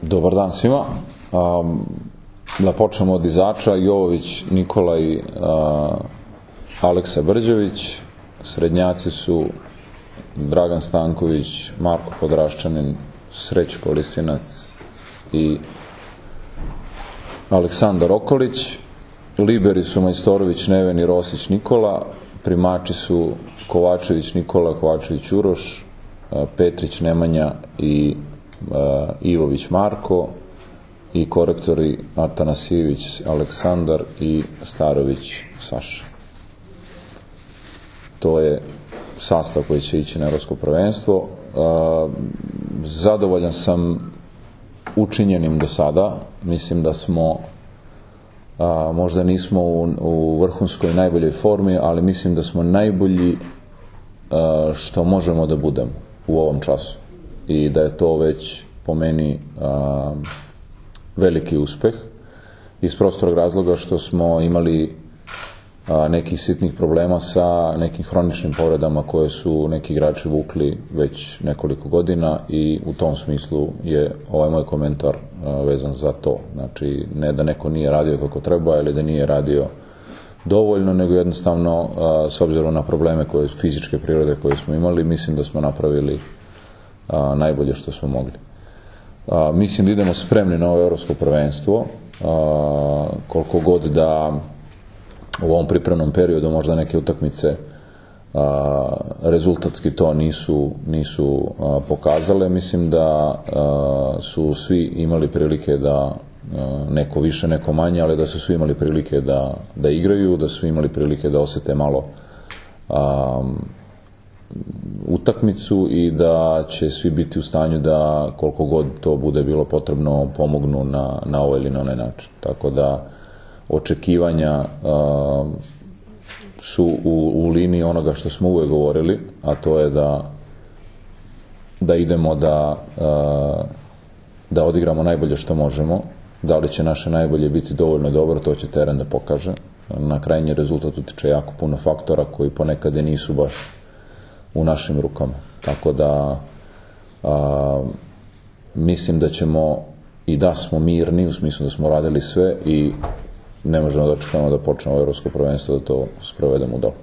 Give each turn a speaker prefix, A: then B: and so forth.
A: Dobar dan svima. Da počnemo od izača. Jovović Nikola i Aleksa Brđević. Srednjaci su Dragan Stanković, Marko Podraščanin, Srećko Lisinac i Aleksandar Okolić. Liberi su Majstorović Neven i Rosić Nikola. Primači su Kovačević Nikola, Kovačević Uroš, Petrić Nemanja i Ivović Marko, i korektori Atanasijević Aleksandar i Starović Saša. To je sastav koji će ići na Evropsko prvenstvo. Zadovoljan sam učinjenim do sada. Mislim da smo, možda nismo u vrhunskoj najboljoj formi, ali mislim da smo najbolji što možemo da budemo u ovom času. I da je to već po meni veliki uspeh, iz prostorog razloga što smo imali nekih sitnih problema sa nekim hroničnim povredama koje su neki igrači vukli već nekoliko godina, i u tom smislu je ovaj moj komentar vezan za to. Znači, ne da neko nije radio kako treba ili da nije radio dovoljno, nego jednostavno s obzirom na probleme fizičke prirode koje smo imali, mislim da smo napravili najbolje što smo mogli. Mislim da idemo spremni na ovo evropsko prvenstvo, koliko god da u ovom pripremnom periodu možda neke utakmice rezultatski to nisu pokazale. Mislim da su svi imali prilike da, neko više, neko manje, ali da su svi imali prilike da igraju, da su imali prilike da osete malo utakmicu i da će svi biti u stanju da, koliko god to bude bilo potrebno, pomognu na ovaj ili na onaj način. Tako da očekivanja su u liniji onoga što smo uvek govorili, a to je da idemo da odigramo najbolje što možemo. Da li će naše najbolje biti dovoljno dobro, to će teren da pokaže. Na krajnji rezultat utiče jako puno faktora koji ponekad nisu baš u našim rukama. Tako da mislim da ćemo, i da smo mirni, u smislu da smo radili sve i ne možemo da očekujemo da počnemo evropsko prvenstvo, da to sprovedemo dobro.